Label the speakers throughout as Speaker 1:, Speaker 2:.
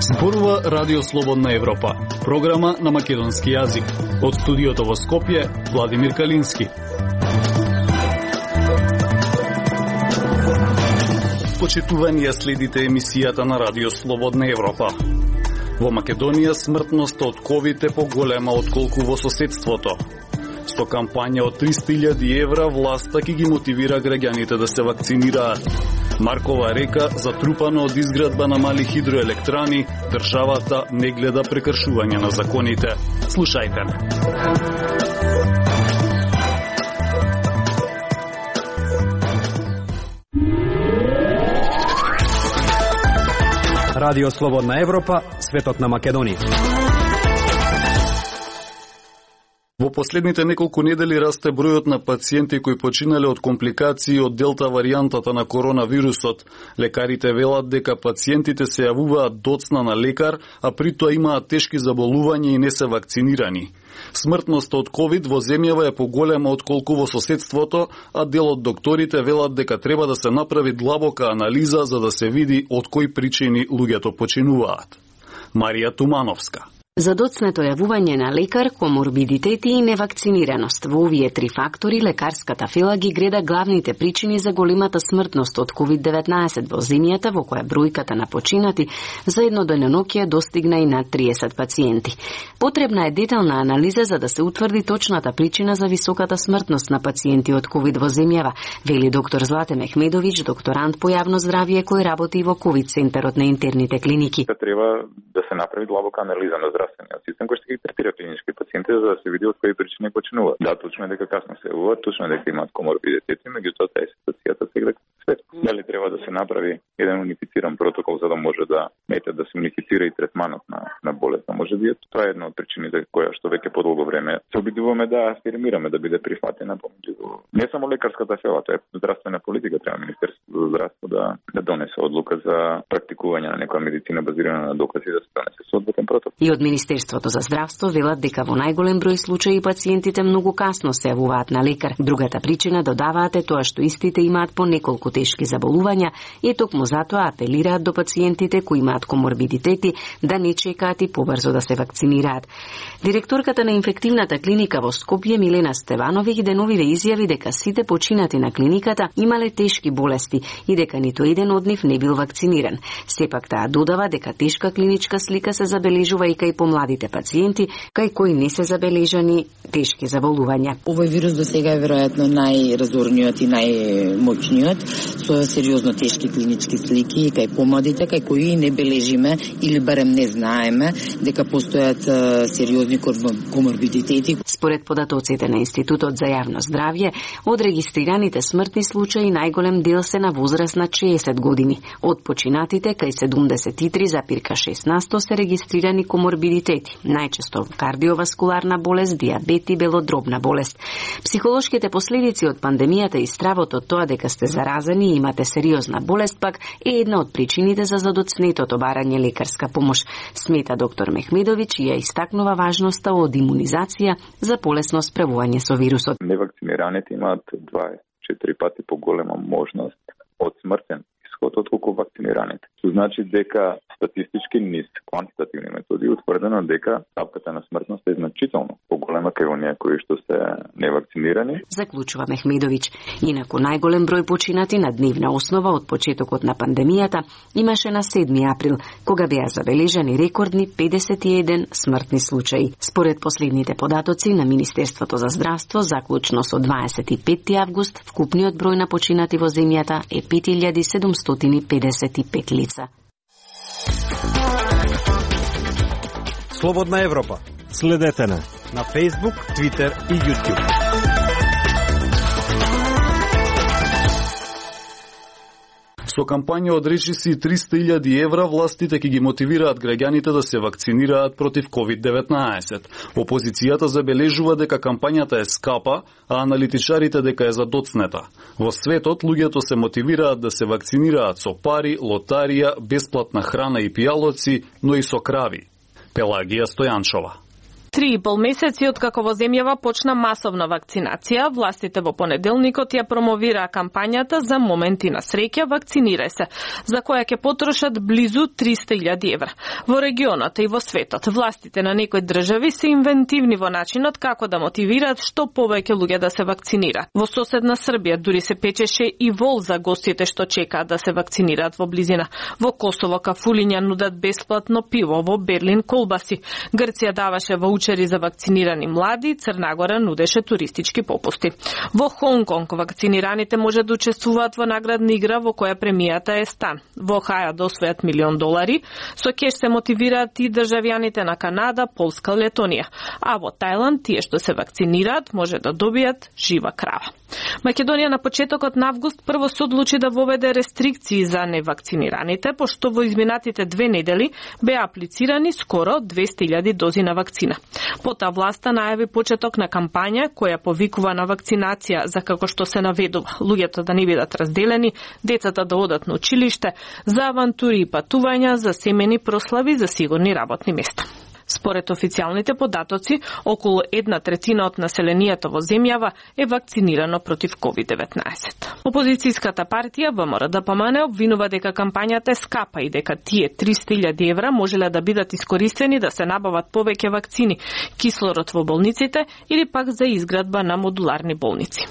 Speaker 1: Зборува Радио Слободна Европа, програма на македонски јазик. Од студиото во Скопје, Владимир Калински. Почитувани, ја следите емисијата на Радио Слободна Европа. Во Македонија смртноста од ковид е поголема отколку во соседството. Со кампања од 300.000 евра, власта ќе ги мотивира граѓаните да се вакцинираат. Маркова река, затрупана од изградба на мали хидроелектрани, државата не гледа прекршување на законите. Слушајте ме.
Speaker 2: Радио Слободна Европа, светот на Македонија.
Speaker 1: Во последните неколку недели расте бројот на пациенти кои починале од компликации од делта варијантата на коронавирусот. Лекарите велат дека пациентите се јавуваат доцна на лекар, а при тоа имаат тешки заболувања и не се вакцинирани. Смртноста од ковид во земјава е поголема отколку во соседството, а дел од докторите велат дека треба да се направи длабока анализа за да се види од кои причини луѓето починуваат. Марија Тумановска.
Speaker 3: За доцнето јавување на лекар, коморбидитети и невакцинираност. Во овие три фактори, лекарската фила ги греда главните причини за големата смртност од COVID-19 во земјата, во која бројката на починати за едно деноноќие достигна и над 30 пациенти. Потребна е детална анализа за да се утврди точната причина за високата смртност на пациенти од COVID во земјава, вели доктор Злате Мехмедовиќ, докторант по јавно здравје кој работи во COVID центарот на интерните клиники.
Speaker 4: Треба да се направи длабока анализа на здравствениот систем кој ќе ги третира клинички пациенти за да се види од кои причини починуваат. Да, точно е дека касно се јавуваат, точно е дека имаат коморбидитети, меѓутоа таа ситуацијата сега свет. Дали треба да се направи еден унифициран протокол за да може да да се унифицира и третманот на болест на може бијат. Тоа е една од причините која што веќе подолго време се обидуваме да афирмираме да биде прифатена помеѓу не само лекарската фела, тоа е здравствена политика, треба Министерството за здравство да донесе одлука за практикување на некоја медицина базирана на докази да се донесе соодветен протокол.
Speaker 3: И од Министерството за здравство велат дека во најголем број случаи пациентите многу касно се јавуваат на лекар. Другата причина, додаваат, е тоа што истите имаат по неколку тешки заболувања и токму затоа апелираат до пациентите кои имаат коморбидитети да не чекаат и побрзо да се вакцинираат. Директорката на инфективната клиника во Скопје Милена Стевановиќ деновиве изјави дека сите починати на клиниката имале тешки болести и дека ниту еден од нив не бил вакциниран. Сепак таа додава дека тешка клиничка слика се забележува и кај помладите пациенти, кај кои не се забележани тешки заболувања.
Speaker 5: Овој вирус до сега е веројатно најразорниот и најмоćниот, со сериозно тешки клинички слики кај помладите, кај кои не бележиме или барем не знаеме дека постојат сериозни коморбидитети.
Speaker 3: Според податоците на Институтот за јавно здравје, од регистрираните смртни случаи најголем дел се на возраст на 60 години. Од починатите кај 73,6% се регистрирани коморбидитети, најчесто кардиоваскуларна болест, диабет и белодробна болест. Психолошките последици од пандемијата и стравот од тоа дека сте заразени и имате сериозна болест пак е една од причините за задоцнетото барање лекарска помош, смета доктор Мехмедовиќ и ја истакнува важноста од имунизација за полесно справување со вирусот.
Speaker 4: Невакцинираните имаат 24 пати поголема можност од смртен исход отколку вакцинираните. Што значи дека статистички низ квантитативни методи утврдено дека ставката на смртност е значително поголема кај оние кои што се невакцинирани.
Speaker 3: Заклучува Мехмедовиќ. Инаку најголем број починати на дневна основа од почетокот на пандемијата имаше на 7 април, кога беа забележани рекордни 51 смртни случаи. Според последните податоци на Министерството за здравство, заклучно со 25 август, вкупниот број на починати во земјата е 5755 лица.
Speaker 2: Слободна Европа. Следете на Facebook, Twitter и YouTube.
Speaker 1: Со кампања од речиси 300.000 евра, властите ќе ги мотивираат граѓаните да се вакцинираат против COVID-19. Опозицијата забележува дека кампањата е скапа, а аналитичарите дека е задоцнета. Во светот, луѓето се мотивираат да се вакцинираат со пари, лотарија, бесплатна храна и пијалоци, но и со крави. Пелагија Стојанчова.
Speaker 6: 3,5 месеци откако во земјава почна масовна вакцинација, властите во понеделникот ја промовираа кампањата за моменти на среќа вакцинирај се, за која ќе потрошат близу 300.000 евра. Во регионот и во светот, властите на некои држави се инвентивни во начинот како да мотивираат што повеќе луѓе да се вакцинираат. Во соседна Србија дури се печеше и вол за гостите што чекаат да се вакцинираат во близина. Во Косово кафулиња нудат бесплатно пиво, во Берлин колбаси. Грција даваше ваучери за вакцинирани млади, Црна Гора нудеше туристички попусти. Во Хонг Конг вакцинираните може да учествуваат во наградна игра во која премијата е стан. Во Хаја да освојат $1.000.000, со кеш се мотивираат и државјаните на Канада, Полска, Летонија. А во Тајланд тие што се вакцинираат може да добијат жива крава. Македонија на почетокот на август прво се одлучи да воведе рестрикции за невакцинираните, пошто во изминатите 2 недели беа аплицирани скоро 200.000 дози на вакцина. Потоа власта најави почеток на кампања која повикува на вакцинација за како што се наведува луѓето да не бидат разделени, децата да одат на училиште, за авантури и патувања, за семени прослави, за сигурни работни места. Според официјалните податоци, околу 1/3 од населението во земјава е вакцинирано против COVID-19. Опозицијската партија ВМРО-ДПМН обвинува дека кампањата е скапа и дека тие 300.000 евра можеле да бидат искористени да се набават повеќе вакцини, кислород во болниците или пак за изградба на модуларни болници.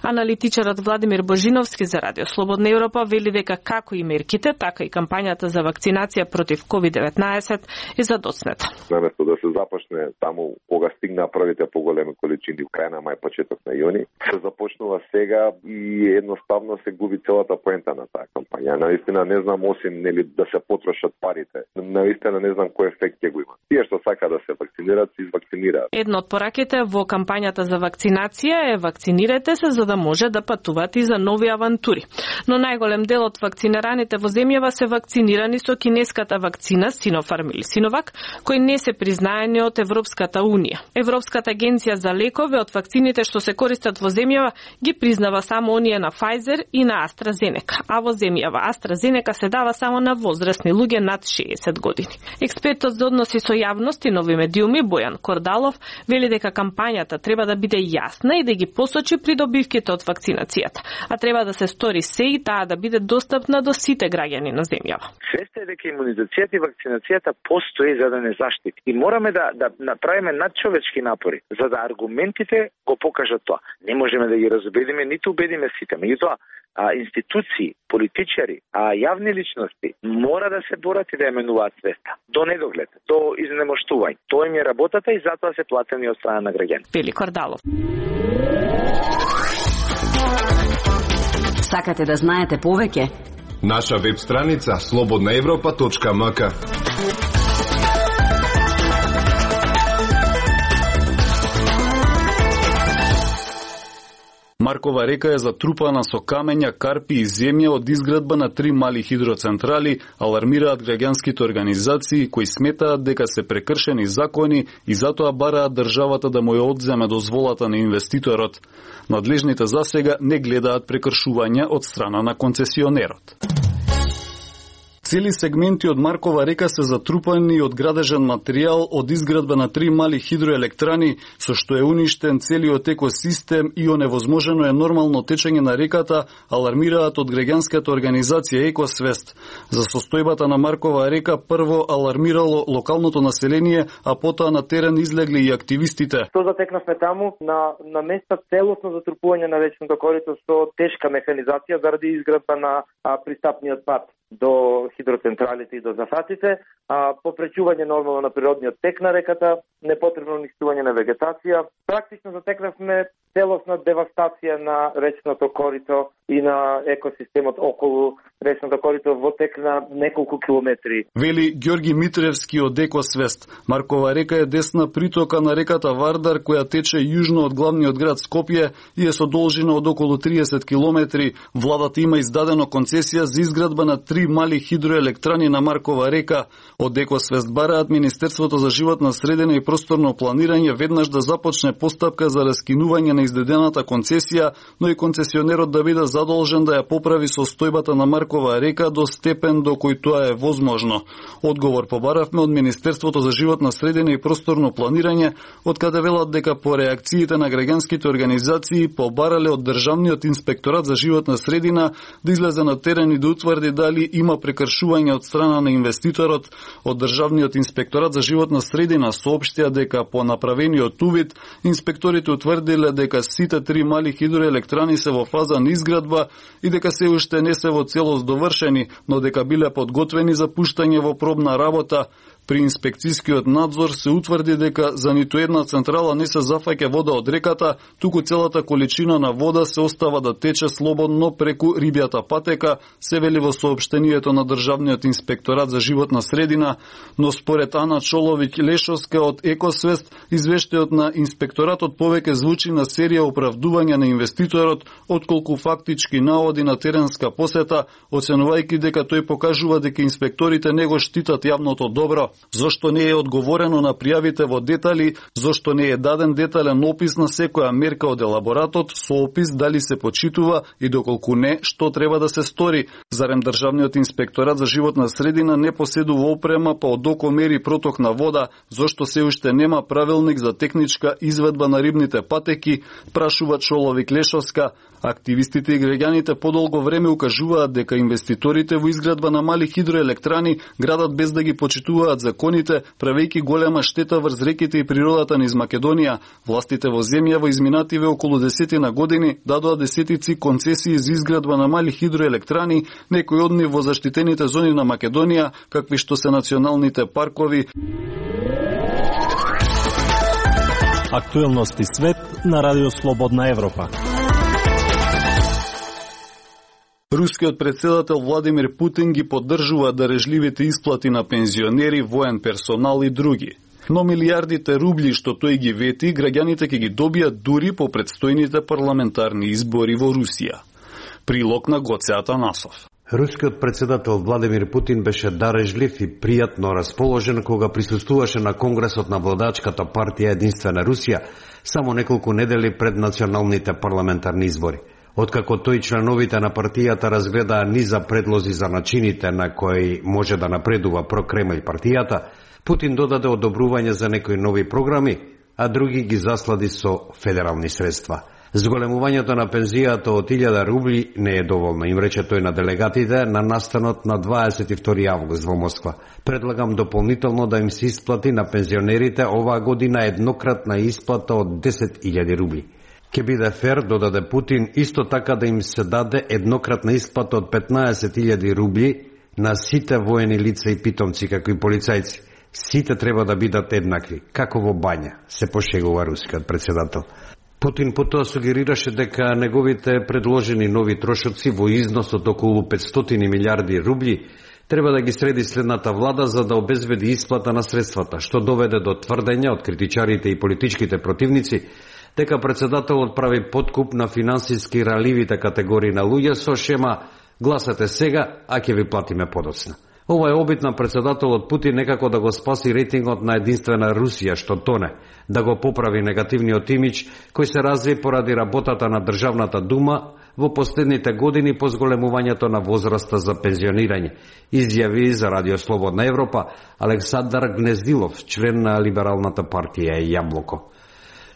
Speaker 6: Аналитичарот Владимир Божиновски за Радио Слободна Европа вели дека како и мерките, така и кампањата за вакцинација против COVID-19 е задоцнета.
Speaker 7: Наместо да се започне таму кога стигна првите поголеми количини во крај на мај, почеток на јуни, се започнува сега и едноставно се губи целата поента на таа кампања. Наистина не знам, осим нели да се потрошат парите. Наистина не знам кој ефект ќе го има. Тие што сака да се вакцинираат, се извакцинираат.
Speaker 6: Едно од пораките во кампањата за вакцинација е вакцинирайте се за да може да патувате и за нови авантури. Но најголем дел од вакцинираните во земјава се вакцинирани со кинеската вакцина Синофарм или Синовак, кои не се признаени од Европската Унија. Европската агенција за лекови од вакцините што се користат во земјава ги признава само оние на Pfizer и на AstraZeneca, а во земјава AstraZeneca се дава само на возрастни луѓе над 60 години. Експертот за односи со јавност и нови медиуми Бојан Кордалов вели дека кампањата треба да биде јасна и да ги посочи придобивките од вакцинацијата, а треба да се стори се и таа да биде достапна до сите граѓани на земјава.
Speaker 8: Свеста е дека имунизацијата и вакцинацијата постои за да не заштити. И мораме да направиме надчовечки напори за да аргументите го покажат тоа. Не можеме да ги разубедиме, ниту убедиме сите. Меѓутоа, институции, политичари, јавни личности мора да се борат и да ја менуваат свеста. До недоглед, до изнемоштување. Тоа им е работата и затоа се платени од страна на граѓани.
Speaker 6: Вели Кордалов.
Speaker 3: Сакате да знаете повеќе?
Speaker 9: Наша веб страница slobodnaevropa.mk.
Speaker 1: Маркова река е затрупана со камења, карпи и земја од изградба на 3 мали хидроцентрали, алармираат граѓанските организации кои сметаат дека се прекршени закони и затоа бараат државата да му ја одземе дозволата на инвеститорот. Надлежните засега не гледаат прекршувања од страна на концесионерот. Цели сегменти од Маркова река се затрупани од градежен материјал од изградба на 3 мали хидроелектрани, со што е уништен целиот екосистем и оневозможено е нормално течење на реката, алармираат од граѓанската организација Екосвест. За состојбата на Маркова река прво алармирало локалното население, а потоа на терен излегли и активистите.
Speaker 10: Што затекнавме таму на места целосно затрупување на речното корито со тешка механизација заради изградба на пристапниот пат до хидроцентралите и до зафатите, попречување нормално на природниот тек на реката, непотребно уништување на вегетација. Практично затекнавме целосна девастација на речното корито и на екосистемот околу речното корито во тек на неколку километри.
Speaker 1: Вели Ѓорги Митревски од Екосвест. Маркова река е десна притока на реката Вардар, која тече јужно од главниот град Скопје и е со должина од околу 30 километри. Владата има издадено концесија за изградба на 3 3 мали хидроелектрани на Маркова река. Од Екосвест бараат Министерството за животна средина и просторно планирање веднаш да започне постапка за раскинување на издадената концесија, но и концесионерот да биде задолжен да ја поправи состојбата на Маркова река до степен до кој тоа е возможно. Одговор побаравме од Министерството за животна средина и просторно планирање, од каде велат дека по реакциите на граѓанските организации побарале од Државниот инспекторат за животна средина да излезе на терен и да утврди дали има прекршување од страна на инвеститорот. Од Државниот инспекторат за животна средина соопштија дека по направениот увид инспекторите утврдиле дека сите 3 мали хидроелектрани се во фаза на изградба и дека се уште не се во целост довршени, но дека биле подготвени за пуштање во пробна работа. При инспекцијскиот надзор се утврди дека за ниту една централа не се зафаќа вода од реката, туку целата количина на вода се остава да тече слободно преку рибјата патека, се вели во соопштението на Државниот инспекторат за животна средина, но според Ана Чоловиќ-Лешовска од Екосвест, извештајот на инспекторатот повеќе звучи на серија оправдувања на инвеститорот, отколку фактички наводи на теренска посета, оценувајќи дека тој покажува дека инспекторите не го штитат јавното добро. Зошто не е одговорено на пријавите во детали, зошто не е даден детален опис на секоја мерка од елаборатот, со опис дали се почитува и доколку не, што треба да се стори. Зарем Државниот инспекторат за животна средина не поседува опрема па од око мери проток на вода, зошто се уште нема правилник за техничка изведба на рибните патеки, прашува Чоловиќ-Лешовска. Активистите и граѓаните подолго време укажуваат дека инвеститорите во изградба на мали хидроелектрани градат без да ги почитуваат законите, правејќи голема штета врз реките и природата низ Македонија. Властите во земја во изминативе околу 10 на години дадоа десетици концесии за изградба на мали хидроелектрани, некои од нив во заштитените зони на Македонија, какви што се националните паркови.
Speaker 2: Актуелности свет на Радио Слободна Европа.
Speaker 1: Рускиот председател Владимир Путин ги поддржува дарежливите исплати на пензионери, воен персонал и други. Но милијардите рубли што тој ги вети, граѓаните ќе ги добијат дури по предстојните парламентарни избори во Русија. Прилог на Гоце Атанасов.
Speaker 11: Рускиот председател Владимир Путин беше дарежлив и пријатно расположен кога присуствуваше на Конгресот на владачката партија Единствена Русија само неколку недели пред националните парламентарни избори. Откако тој членовите на партијата разгледаа низа предлози за начините на кои може да напредува прокремљ партијата, Путин додаде одобрување за некои нови програми, а други ги заслади со федерални средства. Зголемувањето на пензијата од 1000 рубли не е доволно, им рече тој на делегатите на настанот на 22 август во Москва. Предлагам дополнително да им се исплати на пензионерите оваа година еднократна исплата од 10.000 рубли. Ке биде фер, додаде Путин, исто така да им се даде еднократна исплата од 15.000 рубли на сите воени лица и питомци, како и полицајци. Сите треба да бидат еднакви, како во бања, се пошегува рускиот председател. Путин потоа сугерираше дека неговите предложени нови трошоци во износ од околу 500 милиарди рубли треба да ги среди следната влада за да обезбеди исплата на средствата, што доведе до тврдење од критичарите и политичките противници дека председателот прави подкуп на финансиски раливите категории на луѓе со шема гласате сега, а ќе ви платиме подоцна. Ова е обид на председателот Путин некако да го спаси рейтингот на Единствена Русија што тоне, да го поправи негативниот имидж кој се разви поради работата на Државната дума во последните години по зголемувањето на возраста за пензионирање, изјави за Радио Слободна Европа Александар Гнездилов, член на либералната партија Јаблоко.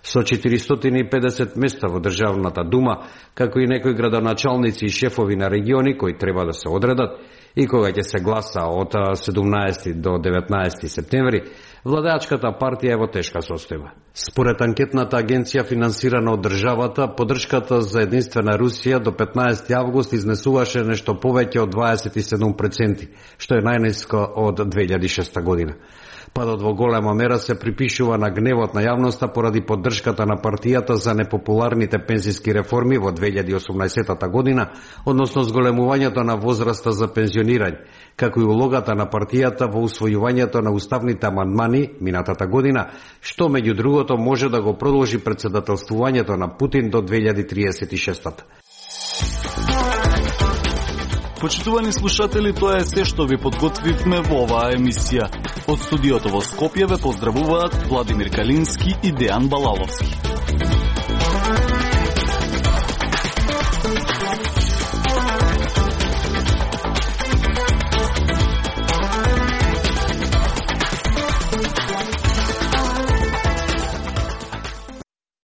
Speaker 11: Со 450 места во Државната дума, како и некои градоначалници и шефови на региони кои треба да се одредат, и кога ќе се гласа од 17 до 19 септември, владеачката партија е во тешка состојба. Според анкетната агенција финансирана од државата, поддршката за Единствена Русија до 15 август изнесуваше нешто повеќе од 27%, што е најниско од 2006 година. Падот во голема мера се припишува на гневот на јавноста поради поддршката на партијата за непопуларните пензиски реформи во 2018 година, односно зголемувањето на возраста за пензионирање, како и улогата на партијата во усвојувањето на уставните амандмани минатата година, што меѓу другото може да го продолжи председателствувањето на Путин до 2036.
Speaker 1: Почитувани слушатели, тоа е се што ви подготвивме во оваа емисија. Од студиото во Скопје ве поздравуваат Владимир Калински и Дејан Балаловски.